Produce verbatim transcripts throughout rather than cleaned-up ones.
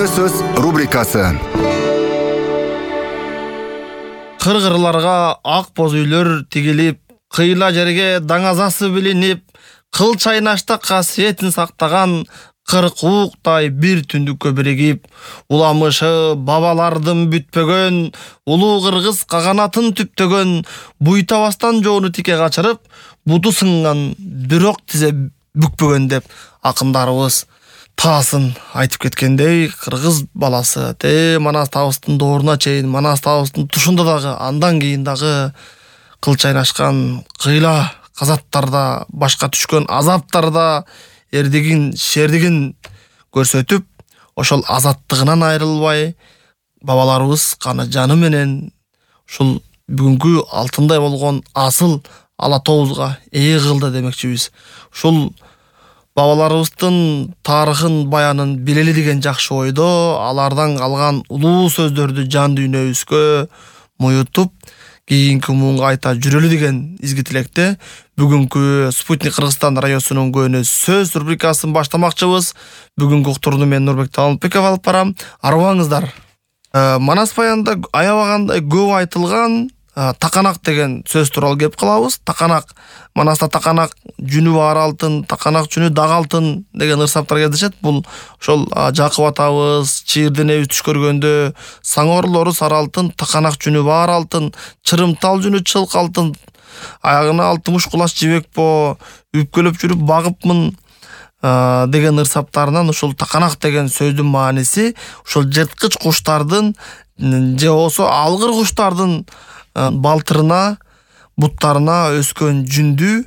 Көңүлдүү сөз рубрикасы. Кыргырларга ак боз үйлөр тигилип, кыйла жерге даңазасы билинип, кыл чайнашта касиетин сактаган кырк ууктай бир түндүккө биригип, уламышы бабалардын бүтпөгөн, улуу кыргыз каганатын түптөгөн, буйтабастан жоону тике качырып, буту сынган бирок тизе бүкпөгөн деп акындарыбыз таасын айтып кеткендей, кыргыз баласы те Манас табыстын дооруна чейин, Манас табыстын тушунда дагы, андан кийин дагы кыл чайнашкан кыйла казаттарда, башка түшкөн азаптарда эрдигин, шердигин көрсөтүп, ошол азаттыгынан айрылбай, бабаларыбыз каны жаны менен ушул бүгүнкү алтындай болгон асыл ала тообузга ээ кылды демекчибиз. Ушул бабаларыбыздын тарыхын, баянын билели деген жакшы ойдо, алардан калган улуу сөздөрдү жан дүйнөбүзгө муютуп, кийинки муунга айта жүрөлү деген изги тилекте бүгүнкү Спутник Кыргызстан радиосунун Көңүлдүү сөз рубрикасын баштамакчыбыз. Бүгүнкү уктурууну мен Нурбек Таалынбеков алып барам. Арыбаңыздар. Манас баянында аябагандай көп айтылган таканак деген сөз тууралуу кеп калабыз. Таканак, Манаста таканак жүнү бар алтын, таканак жүнү дагы алтын деген ырсаптар кездешет. Бул ошол Жакып атабыз чийирденебиз түш көргөндө саңоорлору сары алтын, таканак жүнү бар алтын, чырымтал жүнү чылк алтын, аягына алтымыш кулач жибек по, үпкөлөп жүрүп багыпмын деген ырсаптарынан ушул таканак деген сөздүн мааниси ушул жырткыч куштардын же болбосо алгыр куштардын балтырына, буттарына өскөн жүндү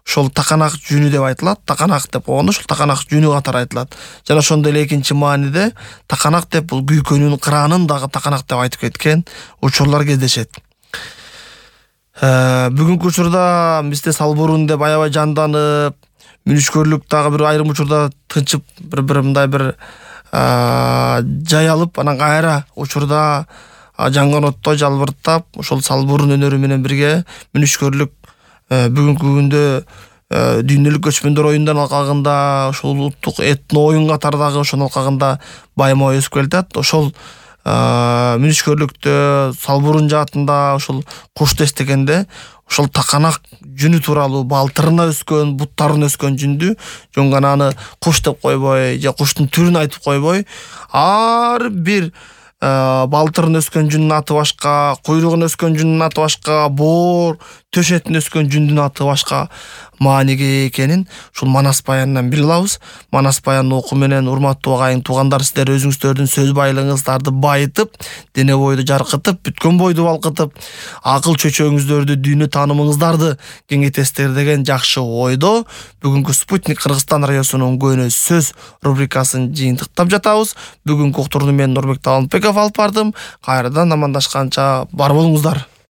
ошол таканак жүнү деп айтылат. Таканак деп койгондо ушул таканак жүнү катары айтылат. Жана ошондой эле экинчи мааниде таканак деп бул күйкөнүн кыраанын дагы таканак деп айтып кеткен учурлар кездешет. Бүгүнкү учурда бизде салбурун деп аябай жанданып, мүнүшкөрлүк дагы бир айрым учурда тынчып, бир-бир мындай бир жай алып, анан кайра учурда жанган оттой жалбырттап, ошол салбурун өнөрү менен бирге мүнүшкөрлүк бүгүнкү күндө дүйнөлүк көчмөндөр оюндан алкагында, ошол улуттук этно оюн катардагы ошонун алкагында байма өсүп келатат. Ошол мүнүшкөрлүктө, салбурун жаатында ошол кушту эстегенде, ошол таканак жүнү тууралуу балтырына өскөн, буттарына өскөн жүндү жөн гана аны куш деп койбой, же куштун түрүн айтып койбой, ар бир балтырын өскөн жүндүн аты башка, куйругун өскөн жүндүн аты башка, боор төшетін өскөн жүндүн аты башка мааниге экенин ушул Манас баянынан биле алабыз. Манас баянын окуу менен урматтуу агайын туугандар, сиздер өзүңүздөрдүн сөз байлыгыңыздарды байытып, дене бойду жаркытып, бүткөн бойду балкытып, акыл чөчөгүңүздөрдү, дүйнө таанымыңыздарды кеңейтесиздер деген жакшы ойдо бүгүнкү Спутник Кыргызстан радиосунун Көңүлдүү сөз рубрикасын жыйынтыктап жатабыз. Бүгүнкү уктурууну мен Нурбек Таалынбеков алып бардым. Кайрадан амандашканча бар болуңуздар.